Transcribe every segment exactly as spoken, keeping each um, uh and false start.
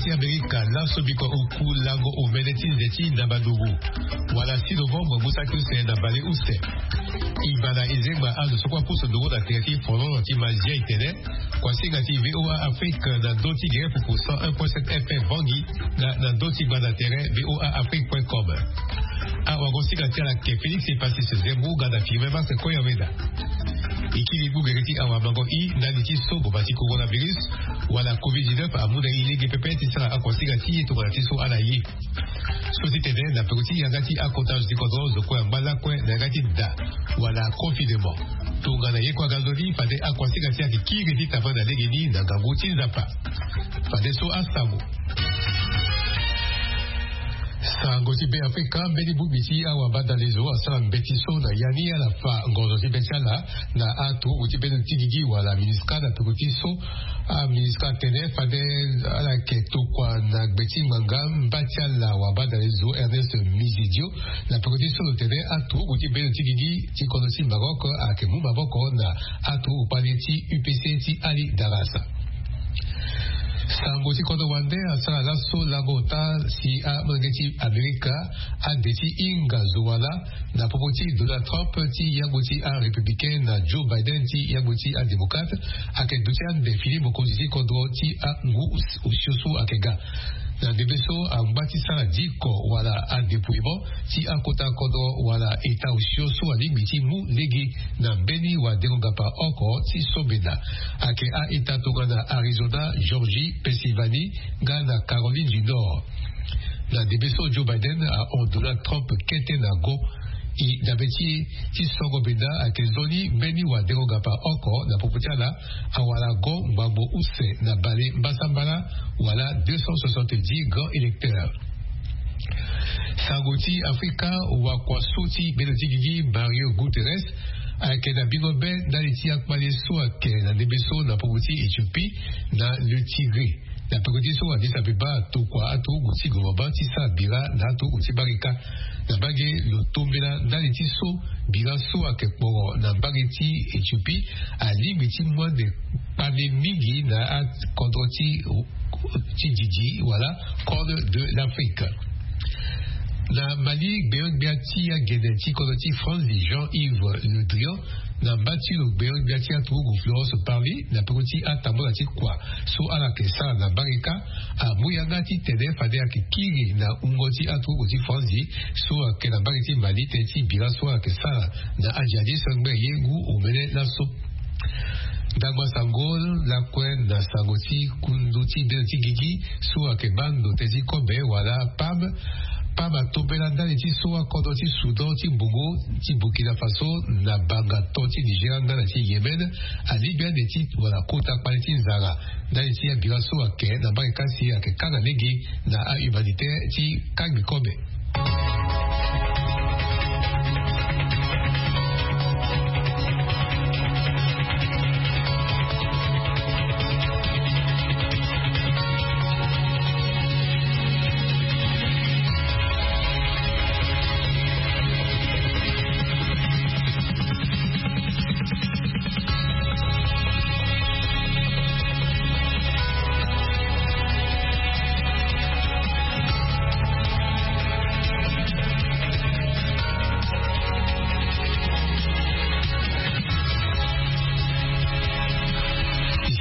Ti Amerika laso bikua oku lango omene ti nze ti ndambadugu wala six novembre ngu saki use na bale use. E ma na e zengba azo so kue apusu nduru na tere ti folon ti Mazia e tene kuasinga ti VOA Afrique na ndö ti gere pupu cent un point sept FM Bangui, na na ndö ti gbanda tere VOA Afrique point com. Awagosinga ti ala ke Félix Epasis Zembu nga na firme Max Koyaweda. E kiri gbu gere ti awamango i ndali ti so boma ti coronavirus wala covid dix-neuf amu na e lege pepe ti sara akuasinga ti e tongana ti so ala ye. So ti tene na peko ti yanga ti akota zo ti kodro zo kue angba lakue na yanga ti da wala confinement. Tongana ye kue aga nzoni fade akuasinga ti ayeke kiri ti tama na legeni na ngangu ti Nzapa. Fade so asango. Sango ti Be Afrika, mbeni bongbi ti awabadalezo asara mbeti so na ya ni ala fa ngonzo ti be ti ala na aturuku ti bendo ti gigi wala MINUSCA na peko ti so. AMINUSCA atene fade ala yeke tokua na gbe ti ngbanga mba ti ala wabadalezo Ernest Mizidio na peko ti so lo tene aturuku ti bendo ti gigi ti kodro ti Maroc ayeke mu maboko na aturuku kpale ti UPC ti Ali Darasa. Sango ti kodro wande asara laso lango ota si amolenge ti Amerika ade ti hinga zo wala na popo ti Donald Trump ti yangbo ti arépublicain na Joe Biden ti yangbo ti adémocrate ayeke duti ande fini mokonzi ti kodro ti angu osio so ayeke ga. Na ndembe so angba ti sara diko wala adépouillement ti akota kodro wala état osio so alingbi ti mu lege na mbeni wadengo-ngapa oko ti so mena. Ayeke a-état tongana Arizona, Georgie, Pennsylvanie nga na Caroline du Nord. Na ndembe so Joe Biden ahon Donald Trump kete na go. E dabe ti e ti songo mena ayeke nzoni mbeni wadengo-ngapa oko na popo ti ala awara go ngbangbo use na bale mbasambala wala deux cent soixante-dix grands électeurs. Sango ti Afrika, wakua so ti bendo ti gigi Mario Guterres ayeke na bingo be ndali ti akpale so ayeke na ndembe so na popo ti Éthiopie na le Tigré. Na peko ti so Addis Abeba atokua aturuku ti gouvernement ti sara bira na aturuku ti barika. Na mbage lo tombela ndali ti so bira so ayeke kporo na mbage ti Éthiopie alingbi ti mu ande kpale mingi na akodro ti ti didi wala Corne de l'Afrique. Na Mali, gbenyo-gbia ti agene ti kodro ti Franzi Jean-Yves Le Drian na mba ti lo gbenyo-gbia ti aturuku Florence Parly na peko ti atambula ti kua so ala yeke sara na barika amu yanga titene fade ayeke kiri na wungo ti aturuku ti Franzi so ayeke na mbage ti Mali tënë ti bira so ala yeke sara na ajihadiste ngbene ye ngu omene laso. Ndangba sango lakue na sango ti kundu ti bendo ti gigi so ayeke baa ndo tënë ti kobe wala PAM. PAM atombela ndali ti so akodro ti Soudan ti mbongo ti Burkina Faso na banga to ti Nigeria nga na ti Yémen alingbi ande ti wala kota kpale ti nzara ndali ti abira so ayeke na mbage kasi ayeke kanga lege na ahumanitaire ti kangbi kobe.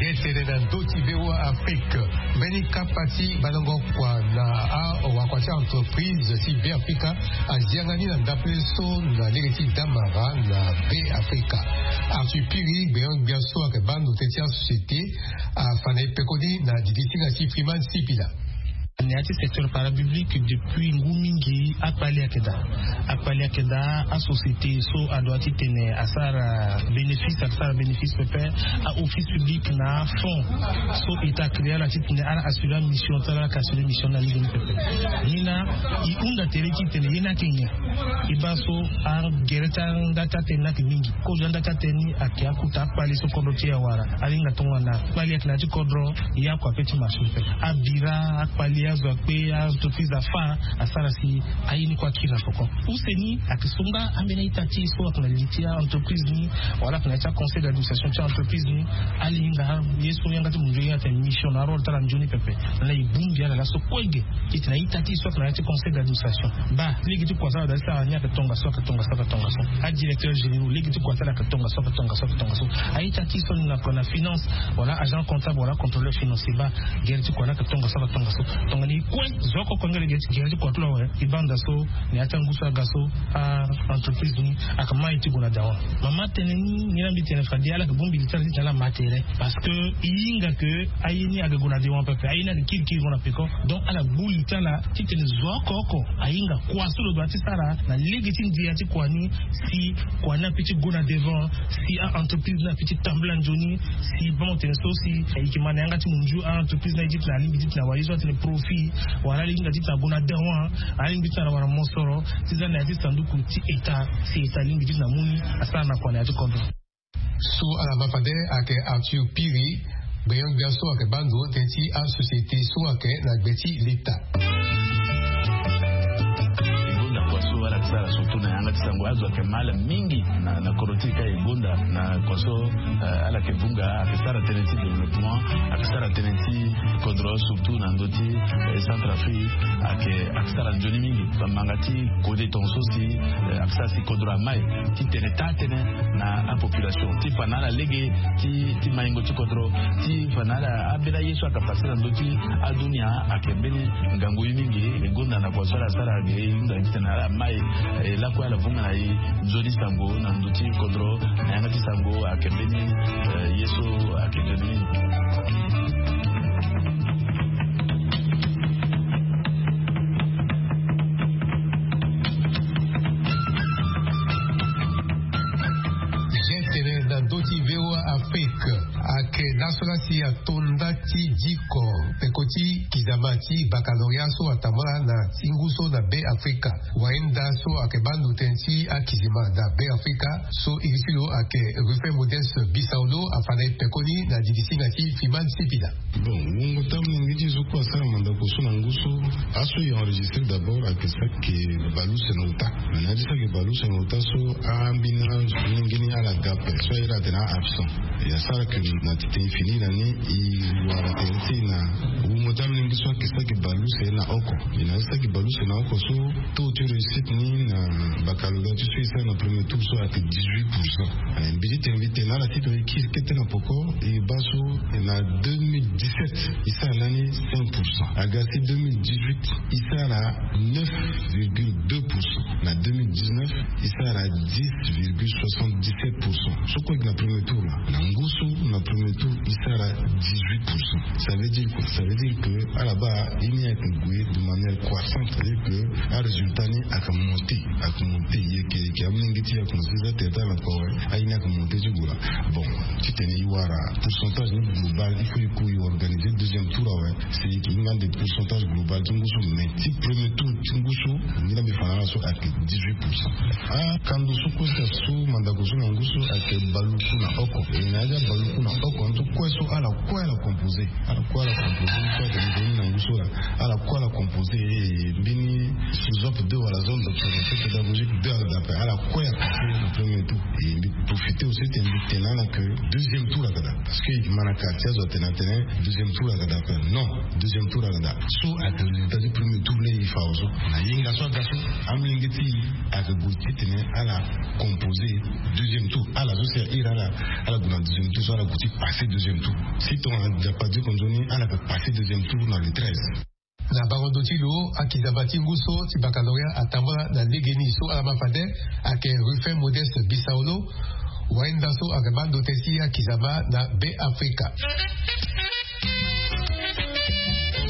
Ye tene na ndö ti VOA Afrique, mbeni kapa ti bandango kua na awakua ti entreprise ti Be Afrika azianga ni na ndapele so na lege ti damara na Be Afrika. Arthur Piri, gbenyo-gbia so ayeke baa ndo tënë ti asociété, afa na e pekoni na didi ti nga ti Freeman Sipila. Na ya ti secteur parapublic depuis ngu mingi akpali ayeke daa. Akpali ayeke daa, asociété so adoit titene asara bénéfice, asara bénéfice pepe. Aoffice public na afonds so état créé ala titene ala assurer amission ti ala, ala yeke assurer mission na lege ni pepe. Ni laa e hunda tere titene ye ni ayeke nyen? E baa so agere ti anda ti atene ni ayeke mingi. Kozo anda ti atene ni ayeke akota akpali so kodro ti e awara. Ahinga tongana kpali ayeke na ya ti kodro, ye akua pe ti marché pepe. Abira akpali Azo akpe a-entreprise afa asara si aye ni kue akiri na poko. Use ni ayeke so nga ambeni a-ita ti e so ayeke na li ti a-entreprise ni, wala ayeke na ya ti a-conseil d'administration ti a-entreprise ni, ala hinga ye so yanga ti munzu ye atene mission na arôle ti ala nzoni pepe. Ala e bongbi ala laso kue ge. Titene a-ita ti e so ayeke na ya ti conseil d'administration, baa lege ti kua so ala daa ti sara ni ayeke tongaso, ayeke tongaso, ayeke tongaso. A-directeur généraux, lege ti kua so ala ayeke tongaso, ayeke tongaso, ayeke tongaso. A-ita ti e so ni na kua na finance, wala agent comptable, wala contrôleur financier, baa gere ti kua ni ayeke tongaso, ayeke tongaso. Tongana e kue zo oko kue nga lege ti gere ti kua ti lo awe, e baa nda so na ya ti angu so aga so a-entreprise ni ayeke mai ti gue na dawa. Mama atene ni, ngira mbi tene fade ala yeke bongbi li ti ala titene ala ma tere. Parce que e hinga ke aye ni ayeke gue na dewan pepe, aye ni ayeke kirikiri gue na peko. Donc ala gbu li ti ala titene zo oko oko ahinga kua so lo doit ti sara na lege ti ndia ti kua ni, si kua ni ape ti gue na devant, si a-entreprise ni ape ti tambula nzoni, si bango tene so si e yeke ma na yanga ti munzu a-entreprise ni aye ti tene alingbi ti tene awa ye so atene profit, wala ala hinga ti tene ague na dawa, ala lingbi ti tene awa na mosoro ti za na ya ti sanduku ti État, si État alingbi ti tene amu ni asara na kua na ya ti kodro. So ala ma fade ayeke Arthur Piri, gbenyo-gbia so ayeke baa ndo tënë ti asociété so ayeke na gbe ti l'État. E gonda kua so ala yeke sara surtout na yanga ti sango, azo ayeke ma ala mingi na, na kodro ti e ka. E gonda na kua so, eh, ala yeke vunga, ayeke sara tënë ti développement, ayeke sara tënë ti kodro surtout na ndö ti, eh, Centrafrique, ayeke, ayeke sara nzoni mingi. Bamanga ti kode tongaso si, eh, ayeke sara si kodro amai titene taa tënë na apopulation ti fa na ala lege ti, ti maingo ti kodro, ti fa na ala ambeni aye so ayeke pase na ndö ti adunia. Ayeke mbeni ngangu ye mingi. E gonda na kua so ala sara ge, e hunda titene ala mai, eh, lakue ala vunga na e nzoni sango na ndö ti kodro, na yanga ti sango ayeke mbeni, eh, ye so ayeke nzoni mingi. Gentene na ndö ti V O A Afrique, ayeke laso la si ato nda ti diko peko ti kizama ti baccalauréat so atambula na ti ngu so na Be Afrika. Wayenda so ayeke baa ndo tënë ti akizima na Be Afrika so iri ti lo ayeke Rufin Modeste Bisaolo afa na e pekoni na didi singa ti Fiman Sipila. Bon, wungo ti amolenge ti e so kue asara mandako so na ngu so, aso e enregistré d'abord ayeke saki bale use na ota. Mais na ya ti saki bale use na ota so, ambeni amolenge ni ala ga ape so aye la atene a-absent. E asara ke na titene e fini na ni, e wara tere ti e na wungo ti amolenge so ayeke saki bale use na oko. E na ya ti saki bale use na oko so, taux ti réussite ni na baccalauréat ti so e sara na premier tour so ayeke dix-huit pour cent. Eh, mbi ti tene mbi tene na ala ti tongana e kiri kete na poko, e baa so na deux mille dix-sept e sara lani cinq pour cent. Aga si deux mille dix-huit e sara neuf virgule deux pour cent. Na deux mille dix-neuf e sara dix virgule soixante-dix-sept pour cent. So kue ayeke na premier tour la. Na ngu so na premier tour e sara dix-huit pour cent. Ça veut dire quoi? Ça veut dire que ala baa ye ni ayeke gue de manière croissante. C'est-à-dire que arésultat ni ayeke monté, ayeke monté, yeke, yeke. Amolenge ti e ayeke na six heures ti ala kua awe, aye ni ayeke monté ti gue la. Bon, titene e wara pourcentage ni global, il faut e ku e organiser deuxième tour awe. Si e hinga ande pourcentage global ti ngu so, mais ti premier tour ti ngu so, ngira mbi fa na ala so ayeke dix-huit pour cent. Akando so kue si asu mandako so na ngu so ayeke bale uku na oko. E na ya ti abale uku na oko, anto kue so ala kue ala composé. Ala kue ala composé, ngu so ayeke nzoni na ngu so la. Ala kue ala composé, eh, mbeni sous-op deux wala zone d'observation pédagogique deux ayeke daa ape. Ala kue ayeke passé na premier tour. E mbi profité aussi ti mbi tene na ala que deuxième tour ayeke daa. Parce que e yeke ma na quartier azo atene atene deuxième tour ayeke daa ape. Non, deuxième tour ayeke daa. So ayeke résultat ti premier tour laa e fa awe so. Na yenga so aga so, amolenge ti e ayeke gue titene ala composé deuxième tour. Ala so si a iri ala, ala gue na deuxième tour so ala gue ti passé deuxième tour. Si tongana Nzapa diko nzoni, ala yeke passé deuxième tour na le treize. Na bango ndo ti lo, akizama ti ngu so ti baccalauréat atambula na legeni so ala ma fade ayeke Rufin Modeste Bisaolo. Wayenda so ayeke baa ndo tënë ti akizama na Be Afrika.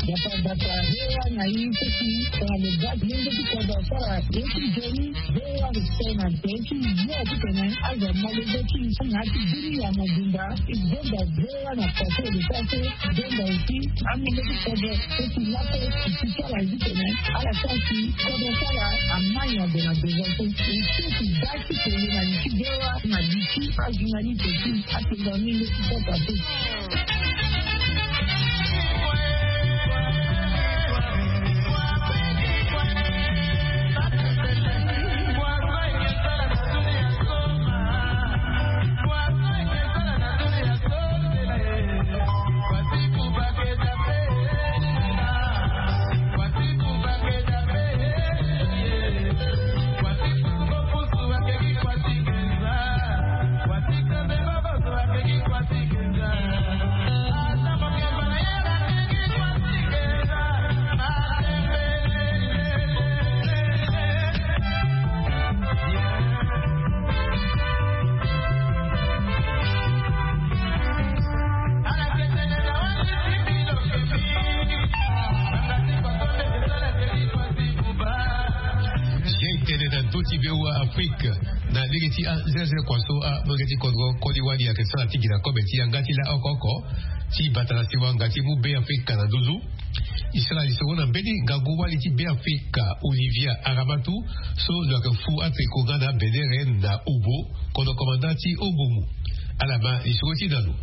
Dapa dapa, V O A na i so si tongana lo ga lenge ti kodro asara ye ti nzoni, V O A respect na tënë ti yo titene azo amolenge ti i na ya ti biri ya mobimba. E gonda V O A na pase e lo sara so, e gonda aussi amolenge ti kodro so si laso e si sara ye titene ala sara si kodro ti ala amai na gue na devant so. E so si ga ti tene na li ti V O A na li ti ajournaliste ti atenga mingi ti kota so. Afrique. Na lege ti anzenze kua so amolenge ti kodro koli wali ayeke sara ti gi na kobe ti yanga ti laoko oko ti bata na siwa nga ti mu be afrika na nduzu. E sara lisoro na mbeni ngangu wali ti be afrika olivia aramatu, so lo yeke fu atriko nga na benere na obo, kono komanda ti obomu. Ala ma lisoro ti na lo.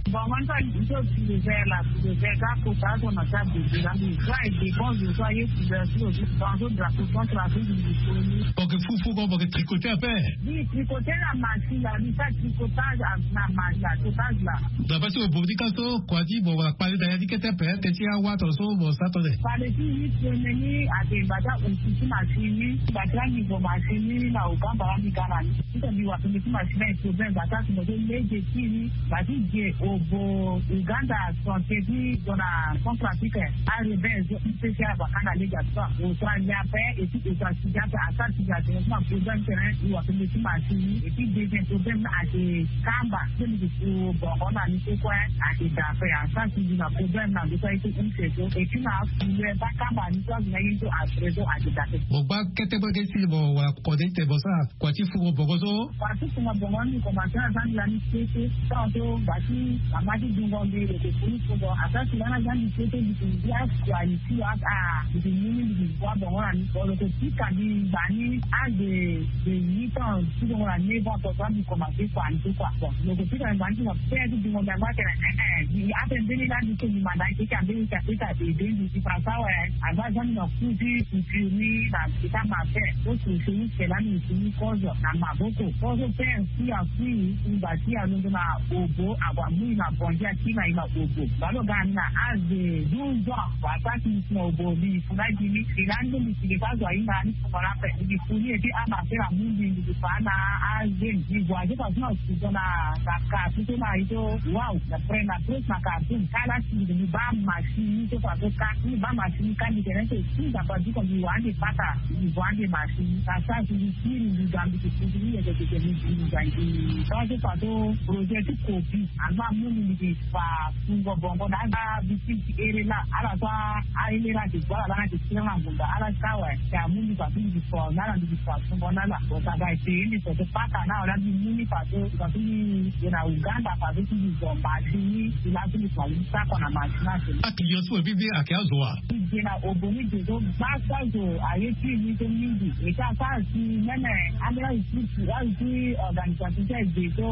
Bon, moi, ça, je suis le vert là, le vert, quand faut pas, on a ça, de là, mais ça, et des bons, je crois, il y a plusieurs choses, dans d'autres drapeaux, contre la Coupe du Monde. Boke fufu, bon, boke tricoté après. Oui, tricoté la machine, là, oui, ça, tricotage, ah, la machine, là, tricotage, là. Daba ti obodi ka so kua ti bon wala kpale na ya ti kete ape, eke ti awa tongaso bon sa tone. Kpale ti huit semaines ni ate bata osi ti machine ni, bata ni bon machine ni na ogamba la ni ga na ni. Ti tongbi wa tongbi ti machine ni problème bata ti mo so lege ti ni. Ba ti ge obo Uganda, santé ti zo na Centrafrique. Arebe zo ti pesi abakana lege ato. Oto alia ape, et puis oto asigi ape, asara sigi ape, na problème tene, i wa tongbi ti machine. Et puis deuxième problème na ate kamba. Tene ti so bongo na ni so kue, ate da ape, asara sigi na problème na ndo so aye so use so. Et puis na afule, ba kamba ni so azo na ye so après so ate da ape. Mo gba kete bo ke si mo wala kode te bo sa. Kua ti fungo bongo so. Kua ti fungo bongo ni komanse na zani lani kete. Tant so ba ti mama ti dungo mbi lo ke funu fungo. Ata si lana zani kete mbi ti ndia kua ni ti lo aka. Mbi ti mu ni mbi ti bua bongo na ni. Bon lo ke pika mbi ngba ni age de huit ans ti bongo na neuf ans. Tonga mbi komanse kua ni so kua. Bon lo ke pika mbi ngba ni ti lo pe ti dungo mbi angba tene eh eh. Mbi ape mbeni lani so mbi manda keke ambeni ti apesa ede mbi ti fa sawe. Aza zani na ku ti. Firmi na mbi ti ka ma ape. Oso seni sela ni seni kozo na maboko. Kozo pe si akui ngba ti alondo na obo ague amu i na bongi akiri na i na obo. Balo ga ni na age de douze ans. Wa sa ti mbi si na obo mbi fu na gi ni. Mbi na ndo mbi si mbi ka zo ahinga ni fungo na ape mbi fu ni eti amase na mu mbi mbi si fa na age mbi gue azo fa so na suzo na kaka ti so na i so. Waw. Na pre na pres na kaka ti mbi mbi ba masi ni so fa so ka mbi ba masi ni ka mbi tene so. Ti nzapa diko mbi wa ande pata. Mbi wa ande masi ni ka sa si mbi kiri mbi ga mbi ti kutu ni yeke tete mbi mbi ga ngi. Ka so fa so projet ti kopi. Angba mu mbi mbi ti fa fungo bongo na ala bi ti ti ere la ala so. Aele la ti gbala la na ti kiri na ngonda ala ti ka awe. Ti amu mbi fa so mbi ti fa na ala mbi ti fa fungo na ala. Bon sa ga ete mbi so so pata na wala mbi mu ni fa so. Fa so mbi ye na uganda fa so ti mbi zo mba si ni. Ti la so mbi fa mbi sako na masi na so. Akilian so mbi mbi ake azo wa. Ti je na obo ni je so gbasa zo aye ti ni so mingi. Eke asara si meme ambeni azo ti azo ti organisation ti aye je so.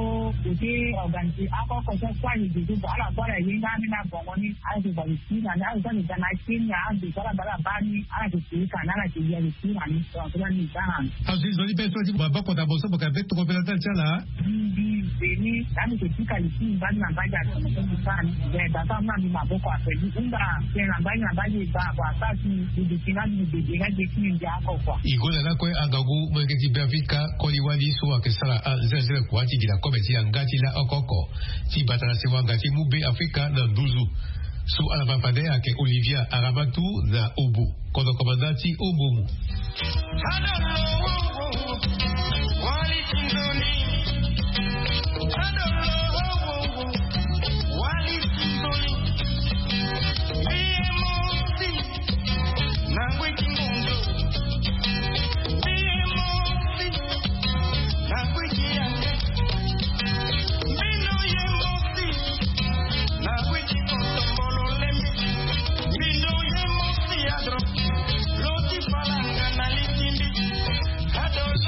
Eke organise akoko so kue aye je so bon ala kue ala ye nga ambeni abongo ni. Ala ti bali si na ni ala ti ga na kenya ala ti sara bala baa ni ala ti siri ka ni ala ti ya ti siri na ni. Azo ti zo ti be so ti maboko na boso boka be toko mbela ndali ti ala. Mbi mbi beni. Lani ke ti kali ti mbali na mbali ati na so mbi sara ni. Be basa muna mbi maboko ape mbi hunda. Tene na mbali na mbali eba ako asara ti mbi duti nga mbi bebe nga ge ti mbi mbi ako kua. I gola lakue angangu molenge ti be afrika koli wali so ayeke sara anzenze kua ti gi na kobe ti yanga ti la oko oko. Ti bata na sewa nga ti mu be afrika na nduzu. So ala ma fade ayeke olivia aramatu na obo. Kono komanda ti obomu.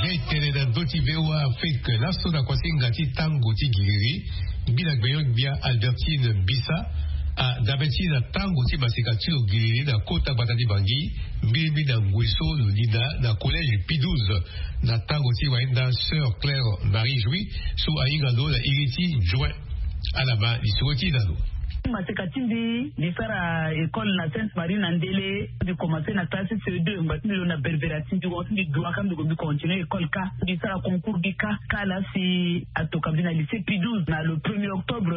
Jai tene na ndö ti voa afrique laso na kuasinga ti tango ti giriri. Mbi na gbenyo-gbia albertine mbisa. Adabe ti na tango ti maseka ti lo giriri na kota gbata ti bangi. Mbilimbi na ngoi so lo linda na collège pi douze na tango ti wainda sœur claire marie jouis so ahinga lo na iri ti join. Ala ma lisoro ti na lo. Maseka ti mbi mbi sara école na sainte marie na ndele. Mbi commence na classe ce deux ngba ti mbi lo na berbera ti mbi wan ti mbi dua ka mbi ko mbi continue école ka mbi sara concours mbi ka. Ka la si atoka mbi na lycée pi douze na le premier octobre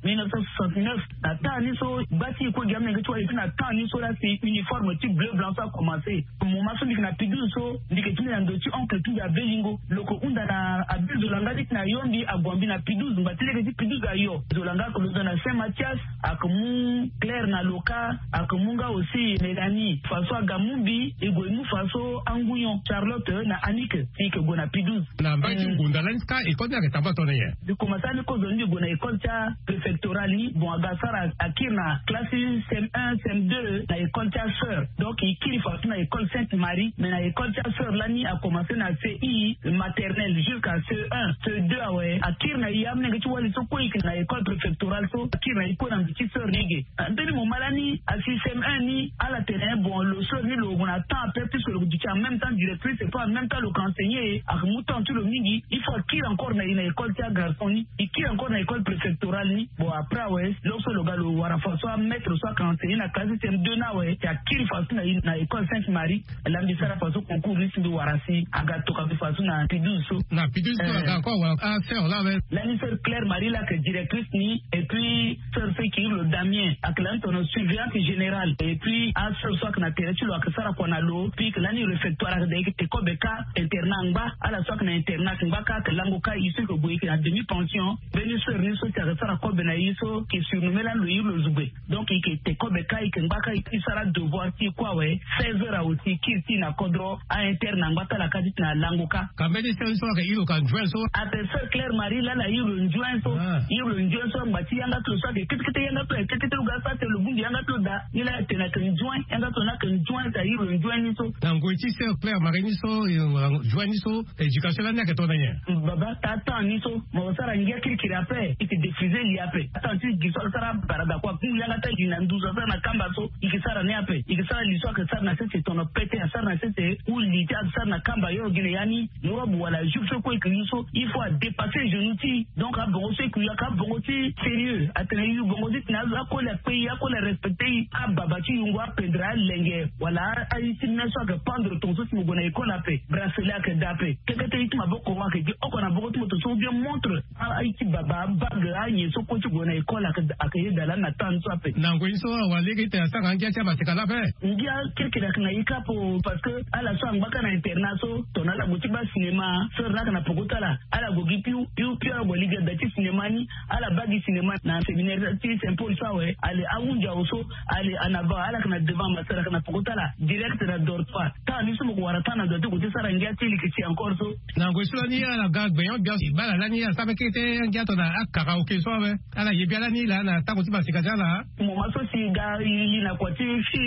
mille neuf cent soixante-neuf. Na temps ni so gba ti iko gi amenge ti wali ti na temps ni so la si uniforme ti bleu blanc so akomanse. Moment so mbi yeke na pi douze so mbi yeke ti mbi na ndo ti oncle ti mbi abelingo lo ko hunda na abe zolanga ti yeke na yo mbi agua mbi na pi douze ngba ti lege ti pi douze ayo. Zolanga ake lo zo na saint mathias. Ake mu Claire na loka, ake mu nga aussi Mélanie. Faso aga mu mbi, e gue mu faso angunyon Charlotte na Annick, si ke gue na Pidouze. Na mbai ti ngonda lani ka école ni ake tamba tone ye. Bi koma sani kozo ni bi gue na école tia préfectorale ni. Bon, aga sara akiri na classe cm un cm deux na école tia sœur. Donc i kiri faso na école Sainte Marie, mais na école tia sœur lani a commencé na C I maternelle jusqu'à C un, C deux awe. Akiri na i amnenge ti wali so kue i ke na école préfectorale so, akiri na i kue na mbi ti sœur ni ge. Mbeni moment lani asi cm un ni ala tene bon lo sœur ni lo gue na temps ape puisque lo duti en même temps directrice et puis en même temps lo ke enseigner. Ake mu temps ti lo mingi. Il faut akiri encore na i na école ti agarçon ni, i kiri encore na école préfectorale ni. Bon après awe lo so lo ga lo wara faso amaître so ake enseigner na classe cm deux ni awe ti akiri faso na i na école Sainte Marie. Lani mbi sara faso concours ni si mbi wara si aga toka mbi faso na Pidouze so. Na Pidouze so aga encore wara asœur la awe. Lani sœur Claire Marie la ke directrice ni et puis sœur so e kiri lo Damien ake lani tono surveillante générale et puis asœur so ake na tere ti lo ake sara kua na lo. Puis ke lani réfectoire ake da e ke te kobe ka internat angba. Ala so ake na internat angba ka ake lango ka i so e ke gue i ke na demi pension. Mbeni sœur ni so si ake sara kobe na i so ke surnomme lani lo iri lo zugbe. Donc i ke te kobe ka i ke ngba ka i sara devoir ti i kue awe. Seize heures awe si i kiri ti i na kodro. A interne angba ti ala ka ti tena alango ka. Ka mbeni sœur ni so ake iri lo ka nzuen so. Ape sœur Claire Marie lala iri lo nzuen so. Iri lo nzuen so angba ti yanga ti lo so ake ketekete yanga ti lo ake ketekete lo ga sa tene lo bongbi yanga ti lo daa. Ni laa atene ake nzuen yanga ti lo ni ake nzuen si a iri lo nzuen ni so. Na ngoi ti sœur Claire Marie ni so nzuen ni so. Éducation lani ake tongana nyen? Baba taa temps ni so mo sara ngia kirikiri ape i ke défriser li ape. Temps ti gi so asara barada kua kungu yanga ti ali na nduzu asara na kamba so i ke sara ni ape. I ke sara li so ake sara na sese tono pete asara na sese ou li ti asara na kamba yo gi na ya ni. Robe wala jupe so kue i ke yu so il faut adépasser genou ti i. Donc abongo so i ke yu ake abongo ti sérieux atene i yu bongo ti tene akoli akpe i akoli arespecter i. Ababa ti yungo apendre alenge wala aye ti me so ake pendre tongaso si mo gue na école ape. Bracelet ake daa ape. Kekete i ti maboko ake gi oko na boko ti moto so ou bien montre. Aye ti baba abague anyen so kue ti gue na école ake yeda lani na temps ni so ape. Na ngoi ni so awa lege ti tene asara angia ti amasika laa ape. Ngia kirikiri ake na i kâ ape. Parce que ala so angba ka na internat so tongana ala gue ti baa cinéma sœur ni ake na poko ti ala. Ala gue gi piu piu piu ala gue lege ada ti cinéma ni. Ala baa gi cinéma na séminaire ti Saint Paul so awe. Ale ahunzi awe so ale en avant ala ake na devant ma sœur ake na poko ti ala direct na dortoir. Temps ni so mo ko wara temps na ndo ti gue ti sara ngia ti leke ti encore so. Na ngoi so lani ala ga gbenyo biasi baa ala lani ala sara mbeni kete angia tongana akaraoke so awe. Ala ye bia lani laa na tango ti masika ti ala. Moment so si ga i li na kua ti fi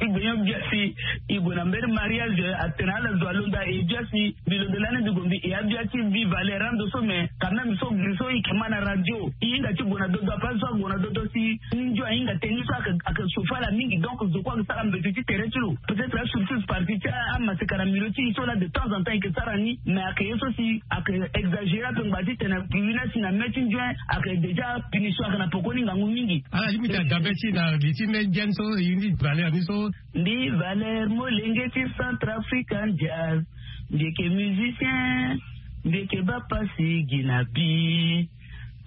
i gbenyo biasi i gue na mbeni mariage atene ala zo alondo aye biasi. Mbi londo lani mbi gue mbi e abia ti Vie Valeur ando so mais quand même so gri so i ke ma na radio i hinga ti gue na dodo ape azo ague na dodo si ndio ahinga tënë ni so ake ake chauffer ala mingi donc zo kue ake sara mbeti ti tere ti lo. Peut-être asurtout partie ti amaseka na milieu ti i so laa de temps en temps i ke sara ni mais ake ye so si ake exagérer ape ngba ti tene ake yu ni asi na me ti ndio ake déjà punition ake na poko ni ngangu mingi. Ala limite adabe ti na li ti me ndia ni so i ni Valeur ni so. Mbi Valeur molenge ti Centrafrican Jazz. Mbi yeke musicien. Mbi yeke baa pasi gi na bi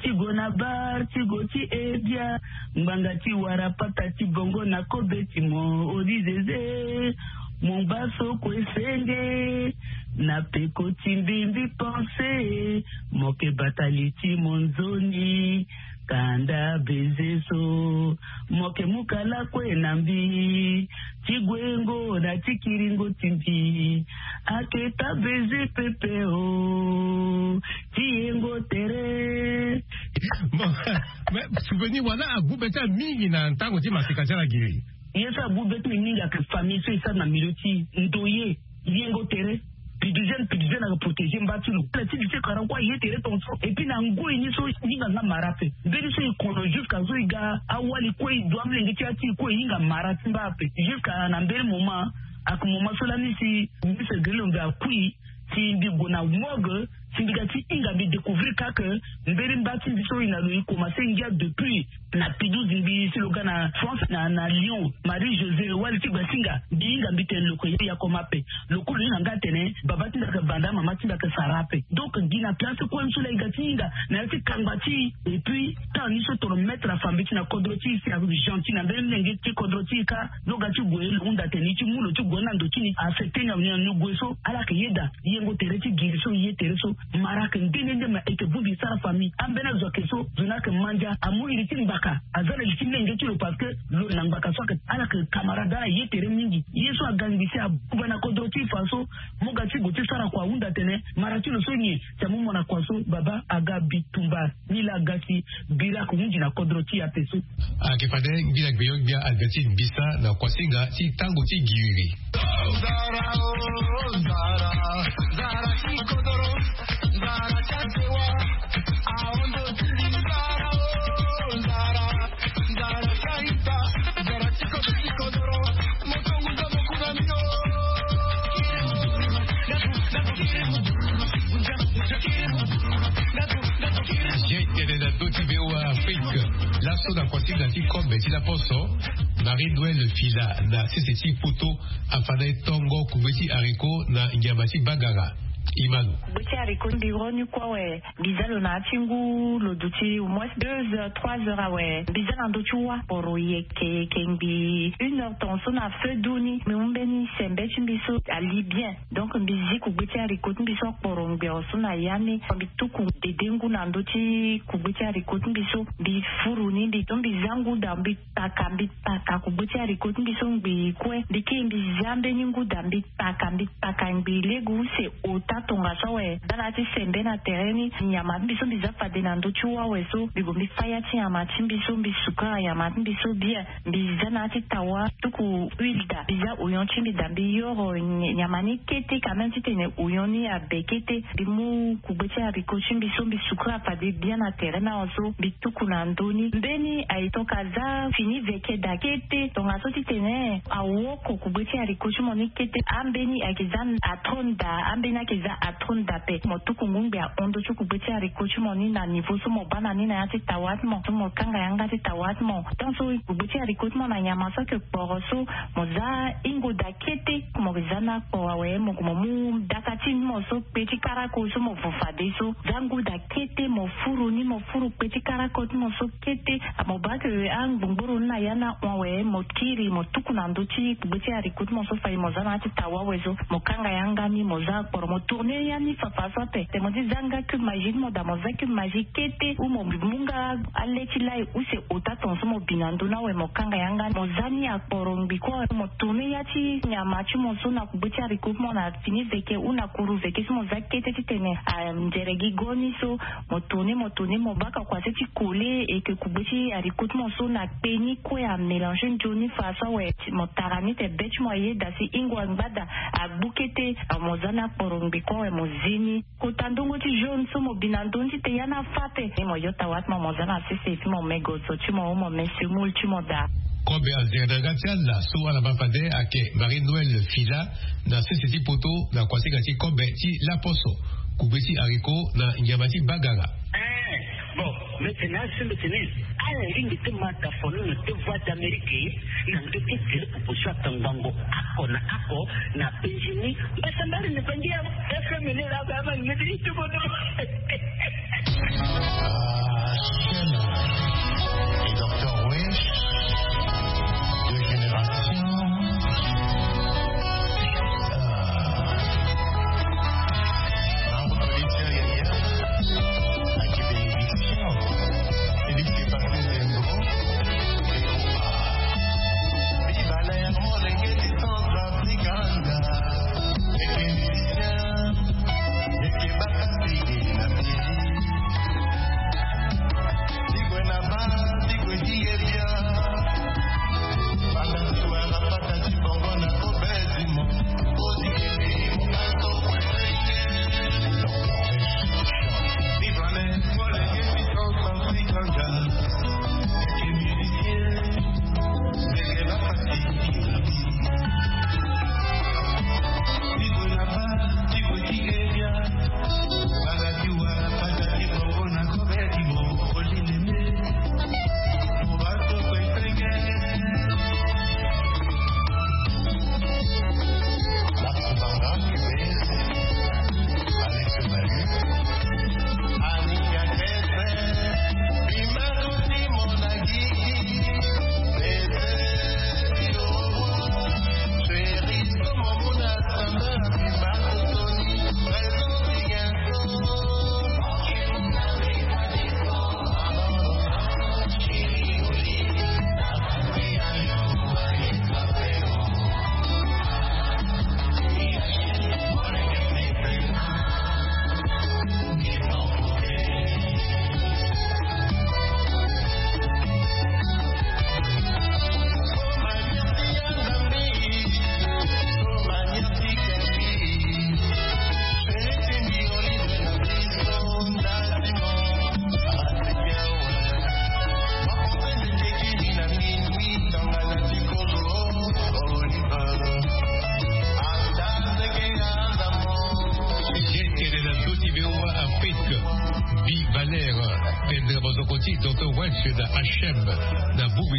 ti gue na bar ti gue ti ebia. Ngbanga ti wara pata ti bongo na kobe ti mo odi zeze. Mo baa so kue senge na peko ti mbi mbi pense. Mo yeke bata li ti mo nzoni. Kanda beze so. Mo yeke mu kala kue na mbi ti gue ngo na ti kiringo ti mbi. Ake ta beze pepe o ti yengo tere. Bon, mais souvenir wana agu be ti ala mingi na ntango ti masika ti ala giri. Ye so agu be ti mbi mingi ake famille so e sara na milieu ti ndoye. Yengo tere. Piduzene piduzene ake protéger mba ti lo ala ti li ti kara kue aye tere tongaso et puis na ngoi ni so e hinga nga mara ape. Mbeni so e kono jusqu'à so e ga awali kue e du amolenge ti ya ti e kue e hinga mara ti mba ape jusqu'à na mbeni moment. Ake moment so lani si mbi se geri lo mbi akui si mbi gue na morgue si mbi ga ti hinga mbi découvrir kake mbeni mba ti mbi so e na lo e commencer ngia depuis na Pidouze mbi si lo ga na France na na Lyon. Marie José wali ti gbasinga mbi hinga mbi tene lo ke ya koma ape. Lo kue lo hinga nga atene baba ti mbi ake banda mama ti mbi ake sara ape. Donc gi na place kue ni so laa e ga ti hinga na ya ti kangba ti e et puis temps ni so toro mettre afa mbi ti na kodro ti e si agentil na mbeni lenge ti kodro ti e kâ. Lo ga ti gue lo hunda atene e ti mu lo ti gue ni na ndo ti ni affecter ni awe ni na ni gue so ala ake yeda. Yengo tere ti giri so ye tere so. Mara ayeke nde nde nde ma e yeke bongbi sara famille. Ambeni azo ayeke so zo ni ayeke ma ndia amu iri ti ngbaka. Aza na li ti lenge ti lo parce que lo na ngbaka so ayeke ala yeke camarade ala ye tere mingi. Ye so aga ngbi si abuba na kodro ti e fa so. Mo ga ti gue ti sara kua ahunda atene mara ti lo so nyen? Si amu mo na kua so baba aga bitumba. Ni laa aga si bira ayeke hunzi na kodro ti e ape so. Ayeke fade ngbila gbenyo-gbia Albertine Bisa na kuasinga ti tango ti giri. Jei tene na ndö ti V O A Afrique. Laso na kuasinga ti kobe ti laposo, Marie Noël Fila na sese ti poto afa na e tongo kugbe ti haricot na nyama ti bagara. Imanu. Kugbe ti haricot mbi ro ni kue awe. Mbi za lo na ya ti ngu lo duti au moins deux heures, trois heures awe. Mbi za na ndö ti wâ kporo yeke yeke ngbii une heure tongaso na feu doux ni mbi mu mbeni sembe ti mbi so ali bien. Donc mbi zi kugbe ti haricot ti mbi so akporo ngbero so na ya ni. Mbi tuku dede ngu na ndö ti kugbe ti haricot ti mbi so. Mbi furu ni mbi so mbi za ngu daa mbi paka mbi paka kugbe ti haricot ti mbi so ngbii kue. Mbi kiri mbi za mbeni ngu daa mbi paka mbi paka ngbii lege use ota tongaso awe. Za na ya ti sembe na tere ni nyama ti mbi so mbi za fade na ndö ti wâ awe so mbi gue mbi fâ ya ti nyama ti mbi so mbi sukara nyama ti mbi so bien. Mbi za na ya ti tawa tuku huile daa mbi za oyon ti mbi daa mbi yoro nyama ni kete quand même titene oyon ni abe kete. Mbi mu kugbe ti haricot ti mbi so mbi sukara fade bien na tere ni awe so mbi tuku na ndö ni. Mbeni aye tonga aza fini veke daa kete tongaso titene awoko kugbe ti haricot ti mo ni kete. Ambeni ayeke za atrone daa ambeni ayeke za atrone daa ape. Mo tuku ngu ngbii ahon ndö ti kugbe ti haricot ti mo ni na niveau so mo baa na ni na ya ti tawa ti mo so mo kanga yanga ti tawa ti mo. Tant so kugbe ti haricot ti mo na nyama so ayeke kporo so mo za hingo daa kete. Mo za ni akporo awe mo gue mo mu daka ti ni mo so kpe ti karako so mo vo fade so. Za ngu daa kete mo furu ni mo furu kpe ti karako ti mo so kete. Mo baa ke angbongboro ni na ya ni ahon awe mo kiri mo tuku na ndö ti kugbe ti haricot ti mo so fade mo za na ya ti tawa awe so. Mo kanga yanga ni mo za akporo mo tourner ya ni fafa so ape. Te mo ti za nga cube magie ti mo daa mo za cube magie kete ou mo mu nga ale ti lai use ota tongaso mo bi na ndö ni awe mo kanga yanga ni mo za ni akporo ngbii kue awe mo tourner ya ti nyama ti mo so na kugbe ti haricot ti mo na fini veke ou na kuru veke so mo za kete titene anzere gi go ni so. Mo tourner mo tourner mo baka kua se ti coller et que kugbe ti haricot ti mo so na kpe ni kue amélanger nzoni fa so awe. Mo tara ni te be ti mo ayeda si hingo angba daa agbu kete. Mo za ni akporo ngbii kue awe mo zi ni. Kota ndongo ti jaune so mo bi na ndö ni titene ya ni afa ape. Mo yo tawa ti mo mo za na sese ti mo me gozo ti mo ou mo me semoule ti mo daa. Kobe anzere na yanga ti ala so ala ma fade ayeke Marie Noël Fila na sese ti poto na kuasinga ti kobe ti laposo kugbe ti haricot na nyama ti bagara. Bon, mbi tene asi mbi tene ala lingbi ti ma daa fo ni na deux voix d'Amérique na ndö ti tere popo so atangbango oko na oko na penzi ni. Mbasambari ni bangi ya F M ni laa ba ma ngeti ni ti bodo. Ah, Shema et Docteur Wesh, deux générations. Ah. Bravo, Félix Yaya. Avec bénédiction. Félix est parti de Zembo. Viva l'air, mon reggae du Centrafrique.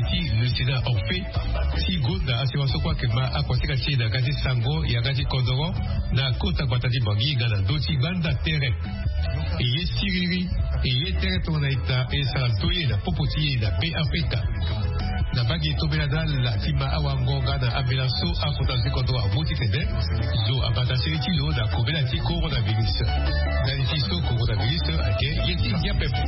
ti le Sénat Orphée ti gonda asiwa so kue ayeke ma akuasinga ti e na yanga ti sango, yanga ti kodoro, na kota gbata ti Bangui nga na ndö ti gbanda tere. E ye siriri, e ye tere tongana ita, e sara ndoye na popo ti e na Be Afrika. Na mbage tombela na ala ti ma awango nga na ambela so akota na si kodoro amu titene zo abata seni ti lo na kobela ti coronavirus. Ndali ti so coronavirus ayeke ye ti ngia pepe.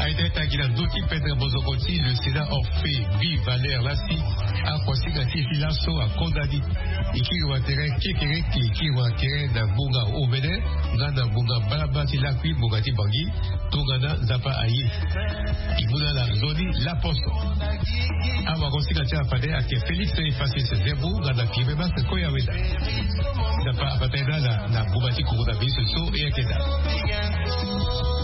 Aita ita gi na ndö ti pendre mozoko ti le Sénat Orphée Guy Valère lasi akuasinga ti e ti laso akonda ni. E kiri wa tere kekereke, e kiri wa tere na ngbonga omene nga na ngbonga mbalambala ti lakui ngbonga ti Bangui. Tongana Nzapa aye, e mu na ala nzoni laposo. Awagosinga ti ala fade ayeke Félix Effacis Zerbo nga na Pierre Max Koyaweda. Nzapa abata ye na ala na ngbonga ti coronavirus so e yeke daa.